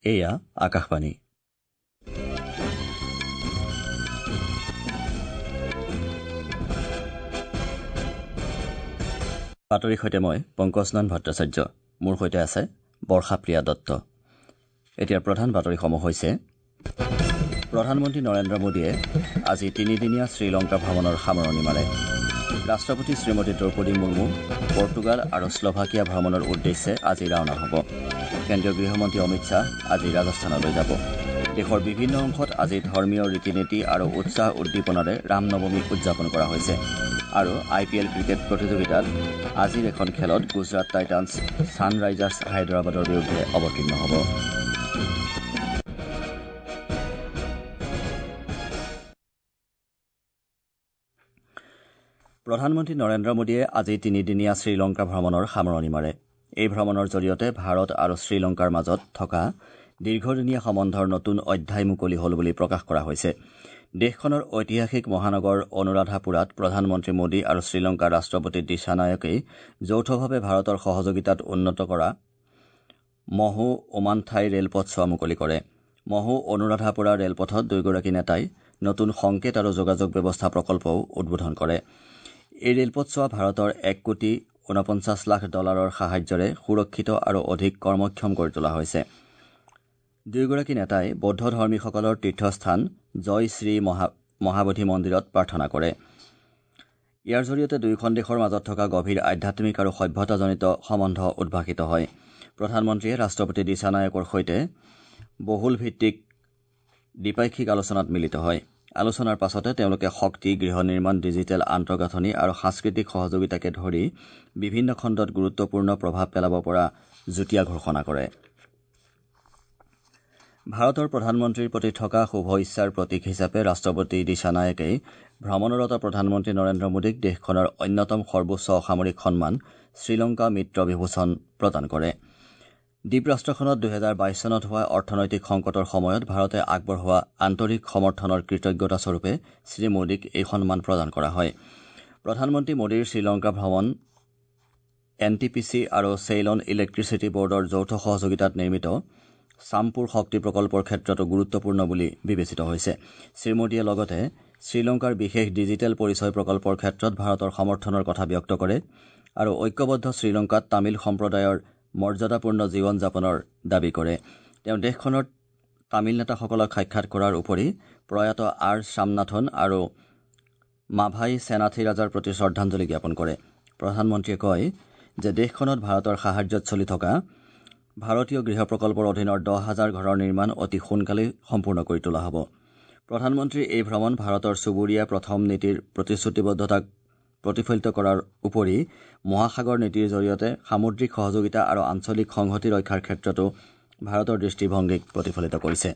এয়া আকাশবাণী। বাতৰিৰ সৈতে মই পংকজনন ভট্টাচাৰ্য, মোৰ সৈতে আছে বৰ্ষাপ্ৰিয়া দত্ত। এতিয়া প্ৰধান বাতৰিসমূহ হৈছে: প্ৰধানমন্ত্ৰী নৰেন্দ্ৰ মোদীয়ে আজি তিনিদিনীয়া শ্ৰীলংকা ভ্ৰমণৰ সামৰণি মাৰে। ৰাষ্ট্ৰপতি শ্ৰীমতী দ্ৰৌপদী মুৰ্মু পৰ্তুগাল আৰু শ্লভাকিয়া ভ্ৰমণৰ উদ্দেশ্যে আজি ৰাওনা হ'ব। কেন্দ্ৰীয় গৃহমন্ত্ৰী অমিত শ্বাহ আজি ৰাজস্থানলৈ যাব। দেশৰ বিভিন্ন অংশত আজি ধৰ্মীয় ৰীতি নীতি আৰু উৎসাহ উদ্দীপনাৰে ৰামনৱমী উদযাপন কৰা হৈছে। আৰু আই পি এল ক্ৰিকেট প্ৰতিযোগিতাত আজিৰ এখন খেলত গুজৰাট টাইটানছ ছানৰাইজাৰ্ছ হায়দৰাবাদৰ বিৰুদ্ধে অৱতীৰ্ণ হ'ব। প্ৰধানমন্ত্ৰী নৰেন্দ্ৰ মোদীয়ে আজি তিনিদিনীয়া শ্ৰীলংকা ভ্ৰমণৰ সামৰণি মাৰে। এই ভ্ৰমণৰ জৰিয়তে ভাৰত আৰু শ্ৰীলংকাৰ মাজত থকা দীৰ্ঘদিনীয়া সম্বন্ধৰ নতুন অধ্যায় মুকলি হ'ল বুলি প্ৰকাশ কৰা হৈছে। দেশখনৰ ঐতিহাসিক মহানগৰ অনুৰাধাপুৰাত প্ৰধানমন্ত্ৰী মোদী আৰু শ্ৰীলংকাৰ ৰাষ্ট্ৰপতি দিশানায়কে যৌথভাৱে ভাৰতৰ সহযোগিতাত উন্নত কৰা মহো ওমানথাই ৰেলপথছোৱা মুকলি কৰে। মহো অনুৰাধাপুৰা ৰেলপথত দুয়োগৰাকী নেতাই নতুন সংকেত আৰু যোগাযোগ ব্যৱস্থা প্ৰকল্পও উদ্বোধন কৰে। এই ৰেলপথছোৱা ভাৰতৰ 1,49 কোটি ডলাৰৰ সাহায্যৰে সুৰক্ষিত আৰু অধিক কৰ্মক্ষম কৰি তোলা হৈছে। দুয়োগৰাকী নেতাই বৌদ্ধ ধৰ্মীসকলৰ তীৰ্থস্থান জয় শ্ৰী মহাবোধি মন্দিৰত প্ৰাৰ্থনা কৰে। ইয়াৰ জৰিয়তে দুয়োখন দেশৰ মাজত থকা গভীৰ আধ্যাত্মিক আৰু সভ্যতাজনিত সম্বন্ধ উদ্ভাসিত হয়। প্ৰধানমন্ত্ৰীয়ে ৰাষ্ট্ৰপতি দিশানায়কৰ সৈতে বহুল ভিত্তিক দ্বিপাক্ষিক আলোচনাত মিলিত হয়। আলোচনাৰ পাছতে তেওঁলোকে শক্তি, গৃহ নিৰ্মাণ, ডিজিটেল আন্তঃগাঁথনি আৰু সাংস্কৃতিক সহযোগিতাকে ধৰি বিভিন্ন খণ্ডত গুৰুত্বপূৰ্ণ প্ৰভাৱ পেলাব পৰা যুটীয়া ঘোষণা কৰে। ভাৰতৰ প্ৰধানমন্ত্ৰীৰ প্ৰতি থকা শুভ ইচ্ছাৰ প্ৰতীক হিচাপে ৰাষ্ট্ৰপতি দিশানায়কে ভ্ৰমণৰত প্ৰধানমন্ত্ৰী নৰেন্দ্ৰ মোদীক দেশখনৰ অন্যতম সৰ্বোচ্চ অসামৰিক সন্মান শ্ৰীলংকা মিত্ৰ বিভূষণ প্ৰদান কৰে। দ্বীপৰাষ্ট্ৰখনত 2022 চনত হোৱা অৰ্থনৈতিক সংকটৰ সময়ত ভাৰতে আগবঢ়োৱা আন্তৰিক সমৰ্থনৰ কৃতজ্ঞতাস্বৰূপে শ্ৰীমোদীক এই সন্মান প্ৰদান কৰা হয়। প্ৰধানমন্ত্ৰী মোদীৰ শ্ৰীলংকা ভ্ৰমণ এন টি পি চি আৰু চেইলন ইলেক্ট্ৰিচিটি বৰ্ডৰ যৌথ সহযোগিতাত নিৰ্মিত চামপুৰ শক্তি প্ৰকল্পৰ ক্ষেত্ৰতো গুৰুত্বপূৰ্ণ বুলি বিবেচিত হৈছে। শ্ৰীমোদীয়ে লগতে শ্ৰীলংকাৰ বিশেষ ডিজিটেল পৰিচয় প্ৰকল্পৰ ক্ষেত্ৰত ভাৰতৰ সমৰ্থনৰ কথা ব্যক্ত কৰে আৰু ঐক্যবদ্ধ শ্ৰীলংকাত তামিল সম্প্ৰদায়ৰ মৰ্যাদাপূৰ্ণ জীৱন যাপনৰ দাবী কৰে। তেওঁ দেশখনৰ তামিল নেতাসকলক সাক্ষাৎ কৰাৰ উপৰি প্ৰয়াত আৰ শ্বামনাথন আৰু মাভাই সেনাথিৰাজাৰ প্ৰতি শ্ৰদ্ধাঞ্জলি জ্ঞাপন কৰে। প্ৰধানমন্ত্ৰীয়ে কয় যে দেশখনত ভাৰতৰ সাহায্যত চলি থকা ভাৰতীয় গৃহ প্ৰকল্পৰ অধীনৰ 10,000 ঘৰৰ নিৰ্মাণ অতি সোনকালেই সম্পূৰ্ণ কৰি তোলা হ'ব। প্ৰধানমন্ত্ৰীৰ এই ভ্ৰমণ ভাৰতৰ চুবুৰীয়া প্ৰথম নীতিৰ প্ৰতিশ্ৰুতিবদ্ধতাক প্ৰতিফলিত কৰাৰ উপৰি মহাসাগৰ নীতিৰ জৰিয়তে সামুদ্ৰিক সহযোগিতা আৰু আঞ্চলিক সংহতি ৰক্ষাৰ ক্ষেত্ৰতো ভাৰতৰ দৃষ্টিভংগীক প্ৰতিফলিত কৰিছে।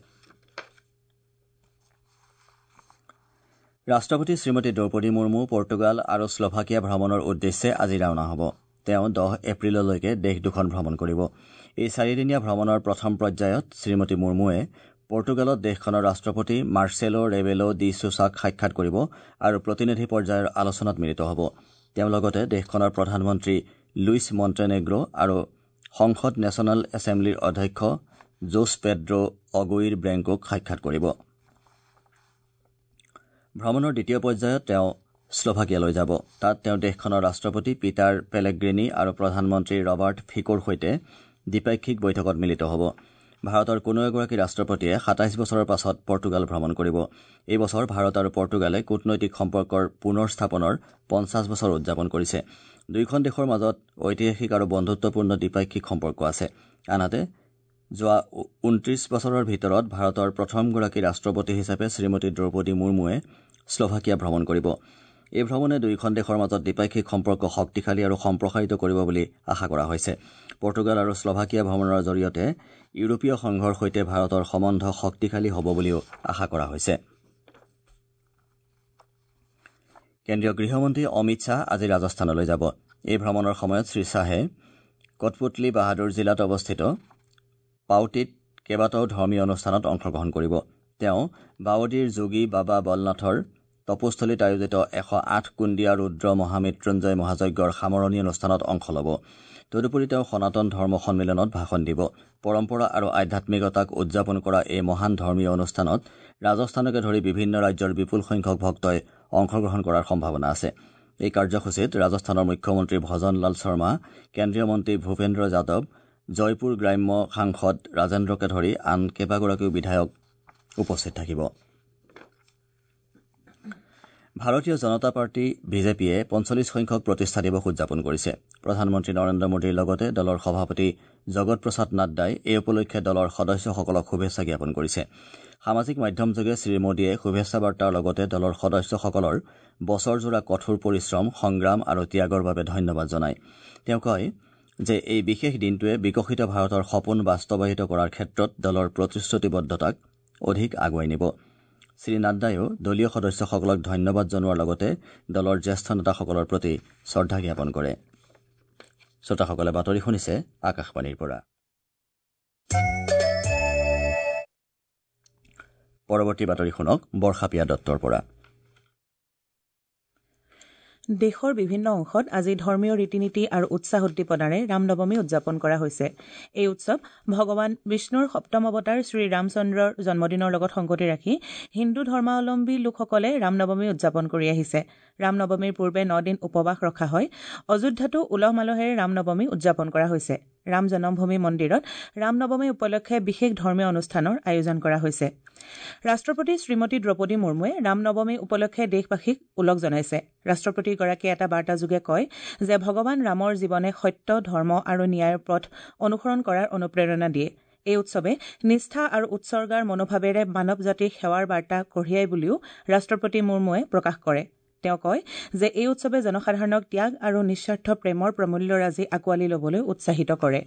ৰাষ্ট্ৰপতি শ্ৰীমতী দ্ৰৌপদী মুৰ্মু পৰ্তুগাল আৰু শ্লভাকিয়া ভ্ৰমণৰ উদ্দেশ্যে আজি ৰাওনা হ'ব। তেওঁ 10 এপ্ৰিললৈকে দেশ দুখন ভ্ৰমণ কৰিব। এই চাৰিদিনীয়া ভ্ৰমণৰ প্ৰথম পৰ্যায়ত শ্ৰীমতী মুৰ্মুৱে পৰ্তুগালত দেশখনৰ ৰাষ্ট্ৰপতি মাৰ্চেলো ৰেবেলো ডি ছুছাক সাক্ষাৎ কৰিব আৰু প্ৰতিনিধি পৰ্যায়ৰ আলোচনাত মিলিত হ'ব। তেওঁ লগতে দেশখনৰ প্ৰধানমন্ত্ৰী লুইছ মণ্টেনেগ্ৰ আৰু সংসদ নেশ্যনেল এছেম্বলিৰ অধ্যক্ষ জোছ পেড্ৰ অগুইৰ ব্ৰেংকোক সাক্ষাৎ কৰিব। ভ্ৰমণৰ দ্বিতীয় পৰ্যায়ত তেওঁ শ্লভাকিয়ালৈ যাব। তাত তেওঁ দেশখনৰ ৰাষ্ট্ৰপতি পিটাৰ পেলেগ্ৰিনি আৰু প্ৰধানমন্ত্ৰী ৰবাৰ্ট ফিকোৰ সৈতে দ্বিপাক্ষিক বৈঠকত মিলিত হ'ব। ভাৰতৰ কোনো এগৰাকী ৰাষ্ট্ৰপতিয়ে 27 বছৰৰ পাছত পৰ্তুগাল ভ্ৰমণ কৰিব। এই বছৰ ভাৰত আৰু পৰ্তুগালে কূটনৈতিক সম্পৰ্কৰ পুনৰ স্থাপনৰ 50 বছৰ উদযাপন কৰিছে। দুয়োখন দেশৰ মাজত ঐতিহাসিক আৰু বন্ধুত্বপূৰ্ণ দ্বিপাক্ষিক সম্পৰ্ক আছে। আনহাতে যোৱা 29 বছৰৰ ভিতৰত ভাৰতৰ প্ৰথমগৰাকী ৰাষ্ট্ৰপতি হিচাপে শ্ৰীমতী দ্ৰৌপদী মুৰ্মুৱে শ্লভাকিয়া ভ্ৰমণ কৰিব। এই ভ্ৰমণে দুয়োখন দেশৰ মাজত দ্বিপাক্ষিক সম্পৰ্ক শক্তিশালী আৰু সম্প্ৰসাৰিত কৰিব বুলি আশা কৰা হৈছে। পৰ্তুগাল আৰু শ্লভাকিয়া ভ্ৰমণৰ জৰিয়তে ইউৰোপীয় সংঘৰ সৈতে ভাৰতৰ সম্বন্ধ শক্তিশালী হ'ব বুলিও আশা কৰা হৈছে। কেন্দ্ৰীয় গৃহমন্ত্ৰী অমিত শ্বাহ আজি ৰাজস্থানলৈ যাব। এই ভ্ৰমণৰ সময়ত শ্ৰীশ্বাহে কটপুতলি বাহাদুৰ জিলাত অৱস্থিত পাউটিত কেইবাটাও ধৰ্মীয় অনুষ্ঠানত অংশগ্ৰহণ কৰিব। তেওঁ বাৱদীৰ যোগী বাবা বলনাথৰ তপস্থলীত আয়োজিত 108 কুণ্ডিয়া ৰুদ্ৰ মহামৃত্যুঞ্জয় মহাযজ্ঞৰ সামৰণি অনুষ্ঠানত অংশ ল'ব। তদুপৰি তেওঁ সনাতন ধৰ্ম সন্মিলনত ভাষণ দিব। পৰম্পৰা আৰু আধ্যাত্মিকতাক উদযাপন কৰা এই মহান ধৰ্মীয় অনুষ্ঠানত ৰাজস্থানকে ধৰি বিভিন্ন ৰাজ্যৰ বিপুল সংখ্যক ভক্তই অংশগ্ৰহণ কৰাৰ সম্ভাৱনা আছে। এই কাৰ্যসূচীত ৰাজস্থানৰ মুখ্যমন্ত্ৰী ভজনলাল শৰ্মা, কেন্দ্ৰীয় মন্ত্ৰী ভূপেন্দ্ৰ যাদৱ, জয়পুৰ গ্ৰাম্য সাংসদ ৰাজেন্দ্ৰকে ধৰি আন কেইবাগৰাকীও বিধায়ক উপস্থিত থাকিব। ভাৰতীয় জনতা পাৰ্টী বিজেপিয়ে ৪৫ সংখ্যক প্ৰতিষ্ঠা দিৱস উদযাপন কৰিছে। প্ৰধানমন্ত্ৰী নৰেন্দ্ৰ মোদীৰ লগতে দলৰ সভাপতি জগত প্ৰসাদ নাড্ডাই এই উপলক্ষে দলৰ সদস্যসকলক শুভেচ্ছা জ্ঞাপন কৰিছে। সামাজিক মাধ্যমযোগে শ্ৰীমোদীয়ে শুভেচ্ছা বাৰ্তাৰ লগতে দলৰ সদস্যসকলৰ বছৰজোৰা কঠোৰ পৰিশ্ৰম, সংগ্ৰাম আৰু ত্যাগৰ বাবে ধন্যবাদ জনায়। তেওঁ কয় যে এই বিশেষ দিনটোৱে বিকশিত ভাৰতৰ সপোন বাস্তৱায়িত কৰাৰ ক্ষেত্ৰত দলৰ প্ৰতিশ্ৰুতিবদ্ধতাক অধিক আগুৱাই নিব। শ্ৰী নাড্ডায়ো দলীয় সদস্যসকলক ধন্যবাদ জনোৱাৰ লগতে দলৰ জ্যেষ্ঠ নেতাসকলৰ প্ৰতি শ্ৰদ্ধা জ্ঞাপন কৰে। শ্ৰোতাসকলে বাতৰি শুনিছে আকাশবাণীৰ পৰা। পৰৱৰ্তী বাতৰি শুনক বৰ্ষাপিয়া দত্তৰ পৰা। দেশৰ বিভিন্ন অংশত আজি ধৰ্মীয় ৰীতি নীতি আৰু উৎসাহ উদ্দীপনাৰে ৰামনৱমী উদযাপন কৰা হৈছে। এই উৎসৱ ভগৱান বিষ্ণুৰ সপ্তম অৱতাৰ শ্ৰীৰামচন্দ্ৰৰ জন্মদিনৰ লগত সংগতি ৰাখি হিন্দু ধৰ্মাৱলম্বী লোকসকলে ৰামনৱমী উদযাপন কৰি আহিছে। ৰামনৱমীৰ পূৰ্বে ৯ দিন উপবাস ৰখা হয়। অযোধ্যাতো উলহ মালহেৰে ৰামনৱমী উদযাপন কৰা হৈছে। ৰাম জন্মভূমি মন্দিৰত ৰামনৱমী উপলক্ষে বিশেষ ধৰ্মীয় অনুষ্ঠানৰ আয়োজন কৰা হৈছে। ৰাষ্ট্ৰপতি শ্ৰীমতী দ্ৰৌপদী মুৰ্মুৱে ৰামনৱমী উপলক্ষে দেশবাসীক ওলগ জনাইছে। ৰাষ্ট্ৰপতিগৰাকীয়ে এটা বাৰ্তাযোগে কয় যে ভগৱান ৰামৰ জীৱনে সত্য, ধৰ্ম আৰু ন্যায়ৰ পথ অনুসৰণ কৰাৰ অনুপ্ৰেৰণা দিয়ে। এই উৎসৱে নিষ্ঠা আৰু উৎসৰ্গাৰ মনোভাৱেৰে মানৱ জাতিৰ সেৱাৰ বাৰ্তা কঢ়িয়াই বুলিও ৰাষ্ট্ৰপতি মুৰ্মুৱে প্ৰকাশ কৰে। তেওঁ কয় যে এই উৎসৱে জনসাধাৰণক ত্যাগ আৰু নিস্বাৰ্থ প্ৰেমৰ প্ৰমূল্যৰাজি আঁকোৱালি ল'বলৈ উৎসাহিত কৰে।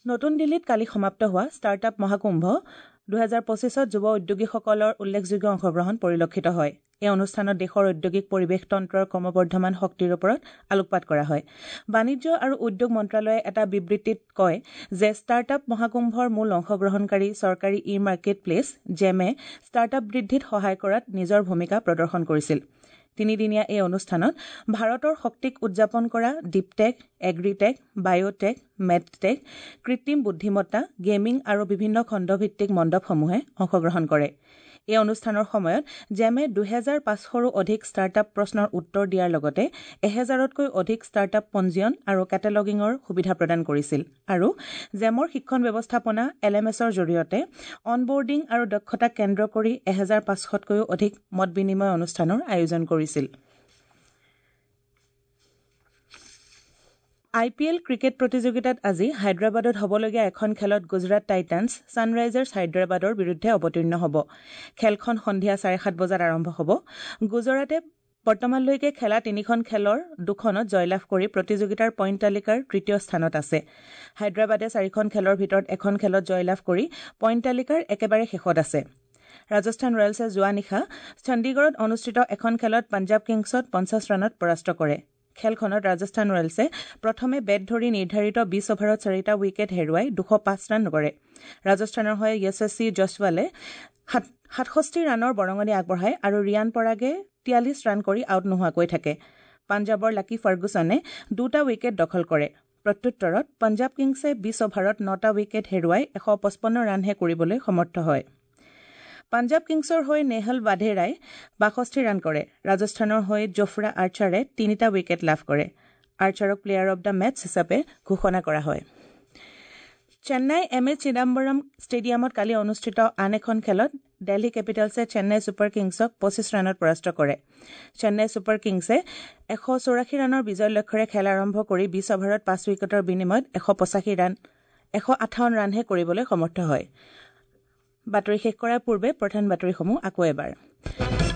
নতুন দিল্লীত কালি সমাপ্ত হোৱা ষ্টাৰ্টআপ মহাকুম্ভ ২০২৫ত যুৱ উদ্যোগীসকলৰ উল্লেখযোগ্য অংশগ্ৰহণ পৰিলক্ষিত হয়। এই অনুষ্ঠানত দেশৰ ঔদ্যোগিক পৰিৱেশ তন্ত্ৰৰ ক্ৰমবৰ্ধমান শক্তিৰ ওপৰত আলোকপাত কৰা হয়। বাণিজ্য আৰু উদ্যোগ মন্ত্ৰালয়ে এটা বিবৃতিত কয় যে ষ্টাৰ্টআপ মহাকুম্ভৰ মূল অংশগ্ৰহণকাৰী চৰকাৰী ই মাৰ্কেট প্লেচ জেমে ষ্টাৰ্টআপ বৃদ্ধিত সহায় কৰাত নিজৰ ভূমিকা প্ৰদৰ্শন কৰিছিল। তিনিদিনীয়া এই অনুষ্ঠানত ভাৰতৰ শক্তিক উদযাপন কৰা ডিপটেক, এগ্ৰিটেক, বায়'টেক, মেডটেক, কৃত্ৰিম বুদ্ধিমত্তা, গেমিং আৰু বিভিন্ন খণ্ডভিত্তিক মণ্ডপসমূহে অংশগ্ৰহণ কৰে। এই অনুষ্ঠানৰ সময়ত জেমে ২৫০০ৰো অধিক ষ্টাৰ্টআপ প্ৰশ্নৰ উত্তৰ দিয়াৰ লগতে ১০০০তকৈ অধিক ষ্টাৰ্টআপ পঞ্জীয়ন আৰু কেটেলগিঙৰ সুবিধা প্ৰদান কৰিছিল আৰু জেমৰ শিক্ষণ ব্যৱস্থাপনা এল এম এছৰ জৰিয়তে অনবৰ্ডিং আৰু দক্ষতাক কেন্দ্ৰ কৰি ১৫০০তকৈও অধিক মত বিনিময় অনুষ্ঠানৰ আয়োজন কৰিছিল। আই পি এল ক্ৰিকেট প্ৰতিযোগিতাত আজি হায়দৰাবাদত হ'বলগীয়া এখন খেলত গুজৰাট টাইটানছ ছানৰাইজাৰ্ছ হায়দৰাবাদৰ বিৰুদ্ধে অৱতীৰ্ণ হ'ব। খেলখন সন্ধিয়া ৭:৩০ বজাত আৰম্ভ হ'ব। গুজৰাটে বৰ্তমানলৈকে খেলা তিনিখন খেলৰ দুখনত জয়লাভ কৰি প্ৰতিযোগিতাৰ পইণ্ট তালিকাৰ তৃতীয় স্থানত আছে। হায়দৰাবাদে চাৰিখন খেলৰ ভিতৰত এখন খেলত জয়লাভ কৰি পইণ্ট তালিকাৰ একেবাৰে শেষত আছে। ৰাজস্থান ৰয়েলছে যোৱা নিশা চণ্ডীগড়ত অনুষ্ঠিত এখন খেলত পঞ্জাৱ কিংছত ৫০ ৰানত পৰাস্ত কৰে। খেলখনত ৰাজস্থান ৰয়েলছে প্ৰথমে বেট ধৰি নিৰ্ধাৰিত ২০ অভাৰত চাৰিটা উইকেট হেৰুৱাই ২০৫ ৰান কৰে। ৰাজস্থানৰ হৈ য়শস্বী জয়ছৱালে ৬৭ ৰানৰ বৰঙণি আগবঢ়ায় আৰু ৰিয়ান পৰাগে ৪৩ ৰান কৰি আউট নোহোৱাকৈ থাকে। পাঞ্জাৱৰ লাকি ফাৰ্গুছনে দুটা উইকেট দখল কৰে। প্ৰত্যুত্তৰত পঞ্জাৱ কিংছে ২০ অভাৰত নটা উইকেট হেৰুৱাই ১৫৫ ৰানহে কৰিবলৈ সমৰ্থ হয়। পাঞ্জাৱ কিংছৰ হৈ নেহল ৱাধেৰাই ৬২ ৰান কৰে। ৰাজস্থানৰ হৈ জোফ্ৰা আৰ্চাৰে তিনিটা উইকেট লাভ কৰে। আৰ্চাৰক প্লেয়াৰ অব the match হিচাপে ঘোষণা কৰা হয়। চেন্নাই এম এ চিদাম্বৰম ষ্টেডিয়ামত কালি অনুষ্ঠিত আন এখন খেলত দিল্লী কেপিটেলছে চেন্নাই ছুপাৰ কিংছক ২৫ ৰানত পৰাস্ত কৰে। চেন্নাই ছুপাৰ কিংছে ১৮৪ ৰানৰ বিজয় লক্ষ্যৰে খেল আৰম্ভ কৰি ২০ অভাৰত ৫ উইকেটৰ বিনিময়ত ১৫৮ ৰানহে কৰিবলৈ সমৰ্থ হয়। বাতৰি শেষ কৰাৰ পূৰ্বে প্ৰধান বাতৰিসমূহ আকৌ এবাৰ।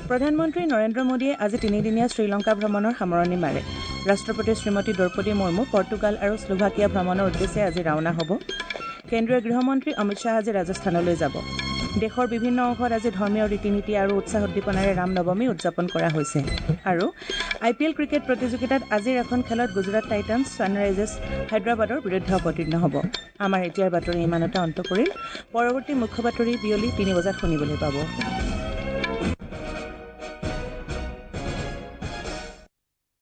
প্ৰধানমন্ত্ৰী নৰেন্দ্ৰ মোদীয়ে আজি তিনিদিনীয়া শ্ৰীলংকা ভ্ৰমণৰ সামৰণি মাৰে। ৰাষ্ট্ৰপতি শ্ৰীমতী দ্ৰৌপদী মুৰ্মু পৰ্তুগাল আৰু শ্লোভাকিয়া ভ্ৰমণৰ উদ্দেশ্যে আজি ৰাওনা হ'ব। কেন্দ্ৰীয় গৃহমন্ত্ৰী অমিত শ্বাহ আজি ৰাজস্থানলৈ যাব। দেশৰ বিভিন্ন অংশত আজি ধৰ্মীয় ৰীতি নীতি আৰু উৎসাহ উদ্দীপনাৰে ৰামনৱমী উদযাপন কৰা হৈছে। আৰু আই পি এল ক্ৰিকেট প্ৰতিযোগিতাত আজিৰ এখন খেলত গুজৰাট টাইটানছ ছানৰাইজাৰ্ছ হায়দৰাবাদৰ বিৰুদ্ধে অৱতীৰ্ণ হ'ব। আমাৰ এতিয়াৰ বাতৰি ইমানতে অন্ত পৰিল। পৰৱৰ্তী মুখ্য বাতৰি বিয়লি ৩ বজাত শুনিবলৈ পাব।